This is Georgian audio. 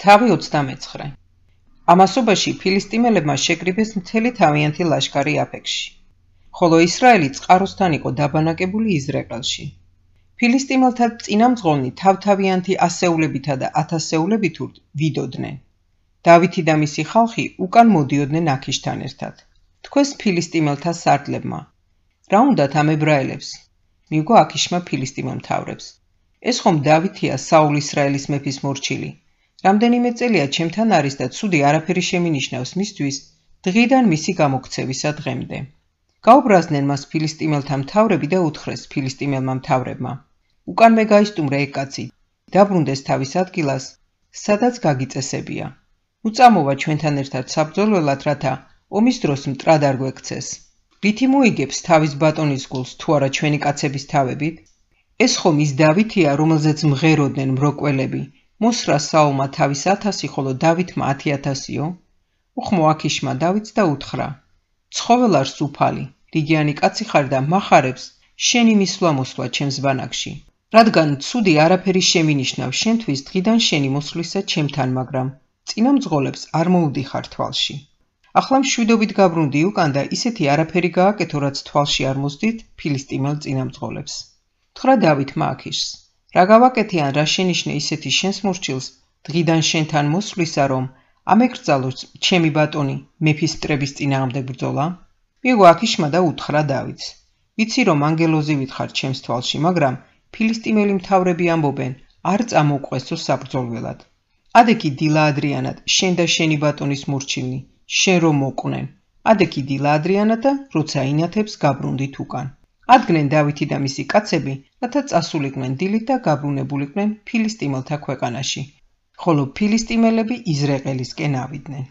თავი 29. ამასობაში ფილისტიმელებმა შეკრიბეს მთელი თავიანთი ლაშქარი აფექში, ხოლო ისრაელი წყაროსთან იყო დაბანაკებული იზრაელში. ფილისტიმელთა წინამძღოლნი თავთავიანთი ასეულებითა და ათასეულებით ვიდოდნენ. დავითი და მისი ხალხი უკან მოდიოდნენ აქიშთან ერთად. თქვეს ფილისტიმელთა სარდლებმა: რა უნდათ ამ ებრაელებს? მიუგო აქიშმა ფილისტიმელ მთავრებს: ეს ხომ დავითია, საულ ისრაელის მეფის მორჩილი. რამდენიმე წელია ჩემთან არის და ცუდი არაფერი შემინიშნავს მისთვის დღიდან მისი გამოქცევისა დღემდე. გაუბრაზდნენ მას ფილისტიმელთა მთავრები და უთხრეს ფილისტიმელმა მთავრებმა: უკანვე გაისტუმრე ეგ კაცი, დაბრუნდეს თავის ადგილას, სადაც გაგიწესებია. უწამოვა ჩვენთან ერთად საბრძოლველად, რათა ომის დროს მტრად არ გვექცეს. რითი მოიგებს თავის ბატონის გულს თუ არა ჩვენი კაცების თავებით? ეს ხომ ის დავითია, რომელზეც მღეროდნენ მროკველები, მოსრა საულმა თავის 1000, ხოლო დავითმა 10,000-ო? უხმო აქიშმა დავითს და უთხრა: ცხოველარს უფალი, რიგიანი კაცი ხარ და მახარებს შენი მისვლა-მოსვლა ჩემს ბანაკში. რადგან ცუდი არაფერი შემინიშნավ შენთვის დღიდან შენი მოსვლისა ჩემთან, მაგრამ წინამძღოლებს არ მოუდიხარ თვალში. ახლა მშვიდობით გაბრუნდი უკან და ისეთი არაფერი გააკეთო, რაც თვალში არ მოსდით ფილისტიმელ წინამძღოლებს. უთხრა დავითმა აქიშს: რა გავაკეთე ან რა შენიშნე ისეთი შენს მორჩილს დღიდან შენთან მოსვლისა, რომ ამეკრძალო ჩემი ბატონი მეფის მტრების წინააღმდეგ ბრძოლა? მიიღო აქიშმა და უთხრა დავითს: ვიცი რომ ანგელოზივით ხარ ჩემს თვალში, მაგრამ ფილისტიმელი მთავრები ამბობენ, არ წამოუყვესო საბრძოლველად. ადექი დილა ადრიანად შენ და შენი ბატონის მორჩილნი შენ რომ მოყვნენ. ადექი დილა ადრიანად და როცა ინათებს გაბრუნდით უკან. ადგნენ დავითი და მისი კაცები, რათა წასულიყვნენ დილით და გაბრუნებულიყვნენ ფილისტიმელთა ქვეყანაში, ხოლო ფილისტიმელები იზრაელისკენ ავიდნენ.